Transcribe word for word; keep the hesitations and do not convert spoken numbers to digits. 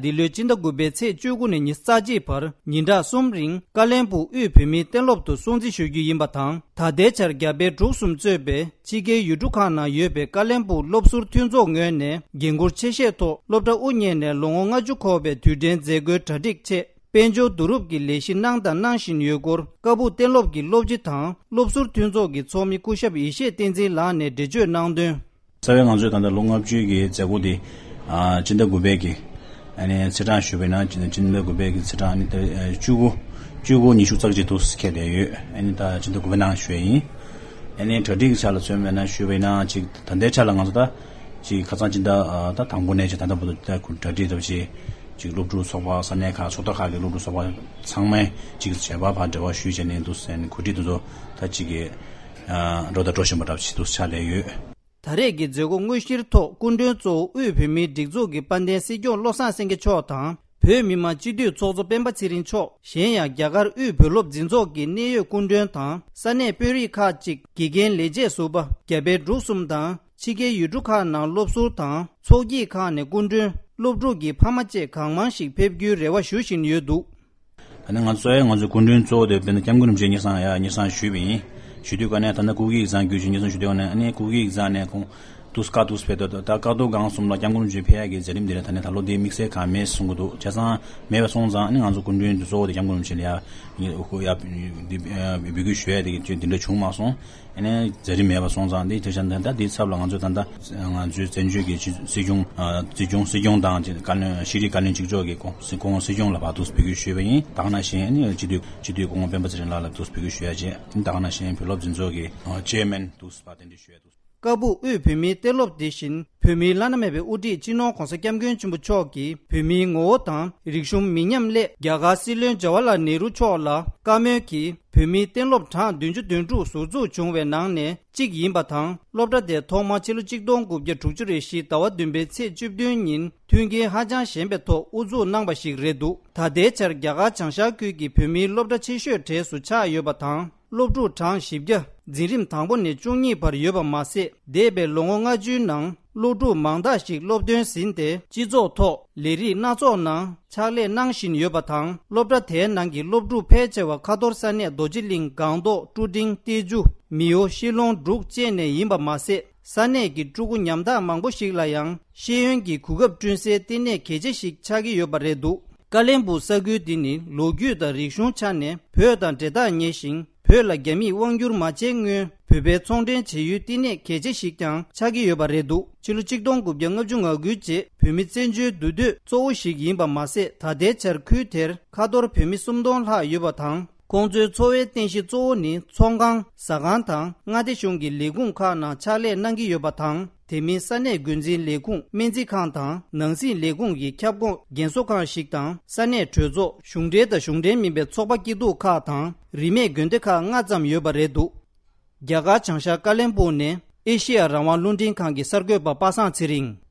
འདི་ལོའི་སྤྱི་ཟླ་དགུ་པའི་ཚེས་བཅུ་དགུ་ནས་ཉི་ཤུ་རྩ་གཅིག་བར་ཉིན་གྲངས་གསུམ་རིང་ཀ་ལན་སྦུག་དབུས་བོད་མིའི་གཏན་སློབ་ཏུ་སྲུང་བརྩི་ཞུ་རྒྱུ་ཡིན་པ་དང་། ད་ལྟའི་ཆར་རྒྱ་བལ་འབྲུག་གསུམ་གཙོས་པའི་ཕྱི་རྒྱལ་ཡུལ་གྲུ་ཁག་ནང་ཡོད་པའི་ཀ་ལན་སྦུག་སློབ་ཟུར་མཐུན་ཚོགས་ངོས་ནས་འགན་འཁུར་ཆེ་བཞེས་ཐོག་སློབ་གྲྭ་དབུ་བརྙེས་ནས་ལོ་ངོ་ལྔ་བཅུ་འཁོར་བའི་དུས་དྲན་མཛད་སྒོའི་གྲ་སྒྲིག་ཆེད། དཔལ་འབྱོར་བསྡུ་རུབ་ཀྱི་ལས་གཞི་གནང་དང་གནང་བཞིན་ཡོད་སྐོར། ཀ་སྦུག་གཏན་སློབ་ཀྱི་སློབ་སྤྱི་དང་སློབ་ཟུར་མཐུན་ཚོགས་ཀྱི་ཚོགས་མི་སྐུ་ཞབས་ཡེ་ཤེས་བསྟན་འཛིན་ལགས་ནས་འགྲེལ་བརྗོད་གནང་དོན། རྩ་བའི་ང་ཚོས་ད་ལྟ་ལོ་ལྔ་བཅུའི་གི་མཛད་སྒོ་འདི་ཨ་སྤྱི་ཟླ་དགུ་པའི་གི་ཨ་ནི་ཚེས་གྲངས་ཞུས་པ་ཡིན་ན་སྤྱི་ཟླ་དགུ་པའི་གི་ཚེས་གྲངས་ཨ་ནི་ད་ཨ་བཅུ་དགུ་བཅུ་དགུ་ཉི་ཤུ་རྩ་གཅིག་དུ་འཁེལ་བསྡད་ཡོད། ཨ་ནི་ད་སྤྱི་ཟླ་དགུ་པའི་ནང་ཞུ་ཡ་ཡིན། ཨ་ནི་གྲ་སྒྲིག་གི་ཆ་ལ་མཚོན་པ་ཡིན་ན་ཞུས་པ་ཡིན་ན་ཅིག་ད་ལྟའི་ཆ་ལ་ང་ཚོ་ད་ཅིག་ཁ་སང་སྤྱི་ཟླ་ཨ་ད་དང་པོ་ནས་ཅིག་ད་ལྟ་བར་དུ་ད་གྲ་སྒྲིག་ད་ཅིག་ཅིག་སློབ་ཕྲུག་ཚོགས་པ་ས་གནས་ཁག་ཚོགས་སྡེ་ཁག་གི་སློབ་ཕྲུག་ཚོགས་པ་ཚང་མས་ཅིག་བྱས་པ་ཕར་འབྲེལ་བ་ཞུས་བྱས་ནས་འདུག་ཟེར་ནས་གོ་སྒྲིག་དེ་ཚོ་ད་ཅིག་གི་ཨ་འགྲོ་དང་འགྲོ་བཞིན་པ་འདྲ་ཞིག་འདུག་ཆགས་བསྡད་ཡོད། ད་རེས་ཀྱི་མཛད་སྒོ་དངོས་གཞིར་ཐོག་སྐུ་མགྲོན་གཙོ་བོ་དབུས་བོད་མིའི་སྒྲིག་འཛུགས་ཀྱི་དཔལ་ལྡན་སྲིད་སྐྱོང་བློ་བཟང་སེང་གེ་མཆོག་དང་། བོད་མི་མང་སྤྱི་འཐུས་ཚོགས་གཙོ་སྤེན་པ་ཚེ་རིང་མཆོག་གཞན་ཡང་རྒྱ་གར་དབུས་བོད་སློབ་འཛིན་ཚོགས་ཀྱི་གནད་ཡོད་སྐུ་མགྲོན་དང་ས་གནས་དཔོན་རིགས་ཁག་ཅིག་དགེ་རྒན་ལས་བྱེད་ཟུར་པ་རྒྱ་བལ་འབྲུག་གསུམ་དང་ཕྱི་རྒྱལ་ཡུལ་གྲུ་ཁག་ནང་སློབ་ཟུར་དང་ཚོགས་སྐྱིད་ཁག་ནས་སྐུ་མགྲོན། སློབ་ཕྲུག་གི་ཕ་མ་བཅས་གང་མང་ཞིག་ཕེབས་རྒྱུའི་རེ་བ་ཞུ་བཞིན་ཡོད་འདུག། ད་ནི་ང་ཚོ་ཨེ་ང་ཚོའི་སྐུ་མགྲོན་གཙོ་བོ་དེ་དཔེར་ན་སྐྱབས་མགོན་རིན་པོ་ཆེ་དངོས་སུ་ཡ་དངོས་སུ་ཞུས་པ་ཡིན། ཞུ་དུས་ཀ་ནས་ད་ནི་སྐུ་སྒེར་ཡིག་ཚང་བརྒྱུད་བཞིན་དངོས་སུ་ཞུ་དུས་ཀ་ནས་ཨ་ནི་སྐུ་སྒེར་ཡིག་ཚང་ནས་ཁོང་དུས་སྐབས་དུས་སུ་ཕེབས་དུས་ད་ཀ་རྡོར་སྒང་གསུམ་ལ་སྐྱབས་མགོན་རིན་པོ་ཆེ་ཕེབས་ཡག་གི་མཛད་རིམ་དེ་ལ་ད་ནི་ད་ལོ་དེའི་དམིགས་བསལ་གང་མེད་གསུང་གི་འདུག། བྱས་ཙང་མེད་པ་སོང་ཙང་ཨ་ནི་ང་ཚོ་སྐུ་མགྲོན་གཙོ་བོ་དེ་སྐྱབས་མགོན་རིན་པོ་ཆེ་ལ་ཡ་ཡ་འདི་འབོད་སྐུལ་ཞུ་ཡ་དེ་འདི་འདྲ་བྱུང་མ་སོང་། ཨ་ནི་མཛད་རིམ་མེད་པ་སོང་ཙང་འདི་དེ་བཞིན་ད་འདིའི་ཚབ་ལ་ང་ཚོས་ད་ལྟ་ང་ཚོའི་བཙན་བྱོལ་གྱི་སྤྱི་སྲིད་སྐྱོང་ཨ་སྲིད་སྐྱོང་སྲིད་སྐྱོང་དང་བཀའ་བློན་ཤེས་རིག་བཀའ་བློན་གཅིག་ལྕོགས་ཀྱི་ཁོང་སྲིད་ཁོང་སྲིད་སྐྱོང་ལ་ཕར་དུ་འབོད་སྐུལ་ཞུས་པ་ཡིན། ད་ག་ནང་བཞིན་ཨ་ནི་སྤྱི་འཐུས་སྤྱི་འཐུས་སྐུ་ངོ་སྤེན་པ་ཚེ་རིང་ལགས་ལ་དུ་འབོད་སྐུལ་ཞུ་ཡ་བྱས། ད་ག་ནང་བཞིན་བོད་སློབ་འཛིན་ཚོགས་ཀྱི་ཨ་ཅེར་མེན་དུ་ཕར་གདན་འདྲེན་ཞུ་ཡ་དུ། ཀ་སྦུག་དབུས་བོད་མིའི་གཏན་སློབ་དེ་བཞིན་བོད་མིའི་བླ་ན་མེད་པའི་དབུ་ཁྲིད་སྤྱི་ནོར་༸གོང་ས་༸སྐྱབས་མགོན་ཆེན་པོ་མཆོག་གིས་བོད་མིའི་ངོ་བོ་དང་རིག་གཞུང་མི་ཉམས་སླད་རྒྱ་གར་སྲིད་བློན་ཇ་ཝ་ལ་ནེ་རུ་མཆོག་ལ་བཀའ་མོལ་གྱིས་བོད་མིའི་གཏན་སློབ་གྲངས་བདུན་ཅུ་དོན་དྲུག་ཟུར་འཛུགས་བྱུང་བའི་ནང་ནས་གཅིག་ཡིན་པ་དང་། སློབ་གྲྭ་དེ་ཐོག་མར་ཕྱི་ལོ་གཅིག་སྟོང་དགུ་བརྒྱ་དྲུག་ཅུ་རེ་བཞི་ཟླ་བ་བདུན་པའི་ཚེས་བཅུ་བདུན་ཉིན་མཐུན་རྐྱེན་ཧ་ཅང་ཞན་པའི་ཐོག་དབུ་འཛུགས་གནང་བ་ཞིག་རེད་འདུག། ད་ལྟའི་ཆར་རྒྱ་གར་བྱང་ཤར་ཁུལ་གྱི་བོད་མིའི་སློབ་གྲྭ་ཆེ་ཤོས་གྲས་སུ་ཆགས་ཡོད་པ་དང་། སློབ་ཕྲུག་གྲངས་བཞི་བརྒྱ་འཛིན་རིམ་དང་པོ་ནས་བཅུ་གཉིས་བར་ཡོད་པ་མ་ཟད། འདས་པའི་ལོ་ངོ་ལྔ་བཅུའི་ནང་སློབ་ཕྲུག་མང་དག་ཞིག་སློབ་ཐོན་ཟིན་ཏེ། སྤྱི་ཚོགས་ཐོག་ལས་རིགས་སྣ་ཚོགས་ནང་ཕྱག་ལས་གནང་བཞིན་ཡོད་པ་དང་། སློབ་གྲྭ་དེའི་ནང་གི་སློབ་ཕྲུག་ཕལ་ཆེ་བ་ཁ་ཐོར་ས་གནས་རྡོ་རྗེ་གླིང་སྒང་ཏོག་ཀྲུ་ཀྲིང་ཏེ་ཇུ་མིའོ་ཤི་ལོང་འབྲུག་བཅས་ནས་ཡིན་པ་མ་ཟད། ས་གནས་ཀྱི་ཕྲུ་གུ་ཉམ་ཐག་མང་པོ་ཞིག་ལ་ཡང་ཤེས་ཡོན་གྱི་གོ་སྐབས་བསྐྲུན་སའི་བསྟི་གནས་གལ་ཆེ་ཞིག་ཆགས་ཀྱི་ཡོད་པ་རེད་འདུག། ཀ་ལན་སྦུག་ས་ཁུལ་འདི་ནི་ལོ་རྒྱུས་དང་རིག་གཞུང་ཆ་ནས་བོད་དང་འབྲེལ་ཐག་ཉེ་ཞིང་། བོད་ལ་རྒྱ་མིས་དབང་བསྒྱུར་མ་བྱས་སྔོན་བོད་པའི་ཚོང་འབྲེལ་བྱེད་ཡུལ་བསྟི་གནས་གལ་ཆེ་ཞིག་ཀྱང་ཆགས་ཀྱི་ཡོད་པ་རེད་འདུག། ཕྱི་ལོ་གཅིག་སྟོང་དགུ་བརྒྱ་ལྔ་བཅུ་ང་དགུའི་རྗེས་བོད་མི་བཙན་བྱོལ་འདུས་སྡོད་གཙོ་བོ་ཞིག་ཡིན་པ་མ་ཟད། ད་ལྟའི་ཆར་ཁུལ་དེར་ཁ་ཐོར་བོད་མི་སུམ་སྟོང་ལྷག་ཡོད་པ་དང་། ཁོང་ཚོའི་འཚོ་བའི་རྟེན་གཞི་གཙོ་བོ་ནི་ཚོང་ཁང་། ཟ་ཁང་དང་མངའ་སྡེ་གཞུང་གི་ལས་ཁུངས་ཁག་ནང་ཕྱག་ལས་གནང་གི་ཡོད་པ་དང་། དེ་མིན་ས་གནས་འགོ་འཛིན་ལས་ཁུངས། སྨན་རྩིས་ཁང་དང་། ནང་སྲིད་ལས་ཁུངས་ཀྱི་ཁྱབ་ཁོངས་རྒན་གསོ་ཁང་ཞིག་དང་། ས་གནས་གྲོས་ཚོགས། གཞུང་འབྲེལ་དང་གཞུང་འབྲེལ་མིན་པའི་ཚོགས་པ་སྐྱིད་སྡུག་ཁག་དང་། རིས་མེད་དགོན་སྡེ་ཁག་ལྔ་ཙམ་ཡོད་པ་རེད་འདུག། རྒྱ་གར་བྱང་ཤར་ཀ་ལན་སྦུག་ནས་ཨེ་ཤེ་ཡ་རང་དབང་རླུང་འཕྲིན་ཁང་གི་གསར་འགོད་པ་པ་སངས་ཚེ་རིང་།